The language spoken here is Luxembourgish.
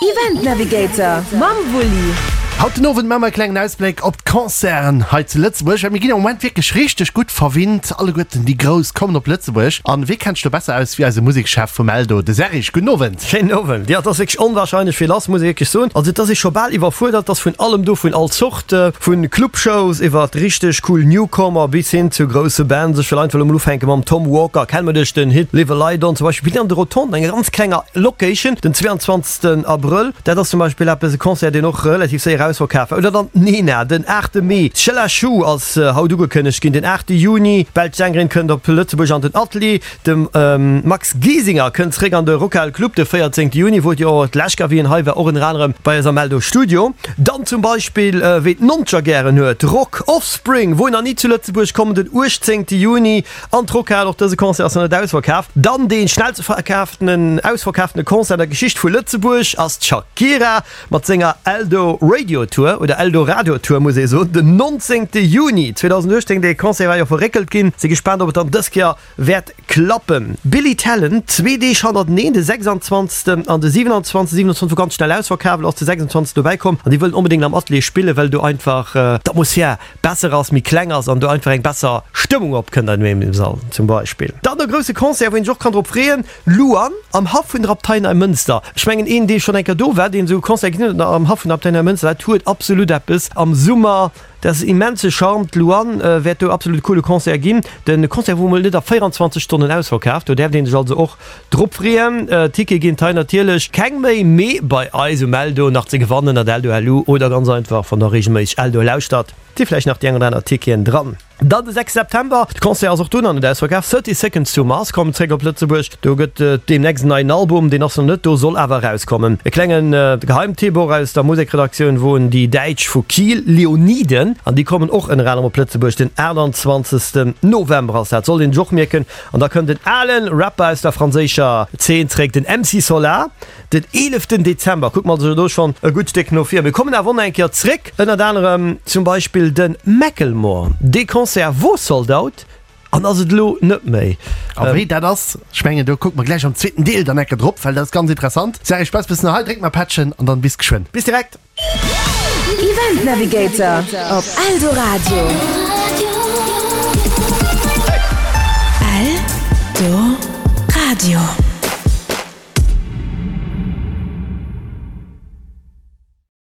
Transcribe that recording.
Event Navigator mam Wulli. Haut den Owend maache mer e klengen Ausbléck op d'Concerten hei zu Lëtzebuerg, well mir ginn am Moment wierklech richteg gutt verwinnt. Alleguerten déi Grouss kommen op Lëtzebuerg. An wee kennt sech do besser aus wéi eise Musekschef vum Eldo, de Serge. Gudden Owend. Schéinen Owend. Jo, et ass wierklech onwahrscheinlech vill lass, muss ee wierklech soen. Also et ass ee scho bal iwwerfuerdert. Et ass vun allem do, vun all Zort, vu Clubshows iwwert richteg cool Newcomer bis hin zu grousse Bands. Ech wëll einfach elo mol ufänke mam Tom Walker, kenne mer duerch den Hit Leave a Light On zum Beispill. An de Rotondes, enger ganz klenger Location, den 22 Abrëll. Dat ass zum Beispill eppes, e Concert, deen och relativ séier ausverkaf war. Oder dann d'Nena, den 8 Mee. D'Sheila Chou ass haut ugekënnegt ginn, den 8 Juni. D'belsch Sängerin kënnt op Lëtzebuerg an den Atelier. De Max Giesinger kënnt zeréck an de Rockhal Club de 14 Juni, wou et jo och d'lescht Kéier, wéi en hei war, och ënner anerem bei eis am Eldo Studio. Dann zum Beispill, wéi d'Noncher gären huet, Rock Offspring, wou nach ni zu Lëtzebuerg kommen, den 18 Juni an d'Rockhal. Och dëse Concert ass nach net ausverkaf. Dann dee schnellste verkaftenen, ausverkaftene Concert an der Geschicht vu Lëtzebuerg ass d'Shakira mat senger Eldo Radio Tour, oder Eldo Radio Tour muss ee soen, den 19 Juni 2018. Dee Concert war jo verréckelt ginn. Si gespaant, ob et dann dës Kéier wäert klappen. Billy Talent, zwee Deeg hannerteneen, de 26. an de 27. 27 wor ganz schnell ausverkaf, elo ass de 26. dobäi komm an déi wëllen onbedéngt am Atelier spillen, well do einfach d'Atmosphär besser ass, méi kleng ass an do einfach eng besser Stëmmung opkënnt an engem Sall zum Beispill. Dann e grousse Concert, wou een sech och kann drop freeën, Luan am Haff vun der Abtei Neimënster. Ech mengen een dee schonn eng Kéier do war, deen esou e Concert gesinn huet am Haff vun der Abtei Neimënster, dat huet absolut eppes am Summer, dat ass immense Charme. D'Luan wäert do absolut e coole Concert ginn. De Concert wor mol net a 24 Stonnen ausverkaaft, do däerft een sech also och Drop freeën. Tickete ginn et hei natierlech keng méi, mee bei eis um Eldo nach ze gewannen at eldo.lu oder ganz einfach wann der regelméisseg Eldo lauschtert, si vläicht nach déi eng oder aner Ticketen dran. Dann de 6 September, de Concert ass och do nach net ausverkaf, 30 Seconds to Mars kommen zréck op Lëtzebuerg, do gëtt et deemnächst en neien Album, deen ass nach net do, soll awer erauskommen. E klenge Geheimtipp och aus der Musekredaktioun woen déi Däitsch vu Kiel, Leoniden, an déi kommen och ënner anerem op Lëtzebuerg, den 28 November ass dat, sollt een sech och mierken. An da kënnt en alen Rapper aus der franséischer Zeen zréck, den MC Solar, den eeleften Dezember. Kucke mer also do schonn e gutt Stéck no vir. Mir kommen awer och nach eng Kéier zréck, ënnert anerem zum Beispill de Macklemore. Dee Concert wor sold out an ass et elo net méi. A wéi dat ass, ech mengen do kucke mer gläich am zweeten Deel dann eng Kéier drop, well dat ass ganz interessant. Serge, Spaass bis no hei, dréck mer Pättchen an dann bis geschwënn. Bis direkt! Event Navigator op Eldoradio. Eldoradio.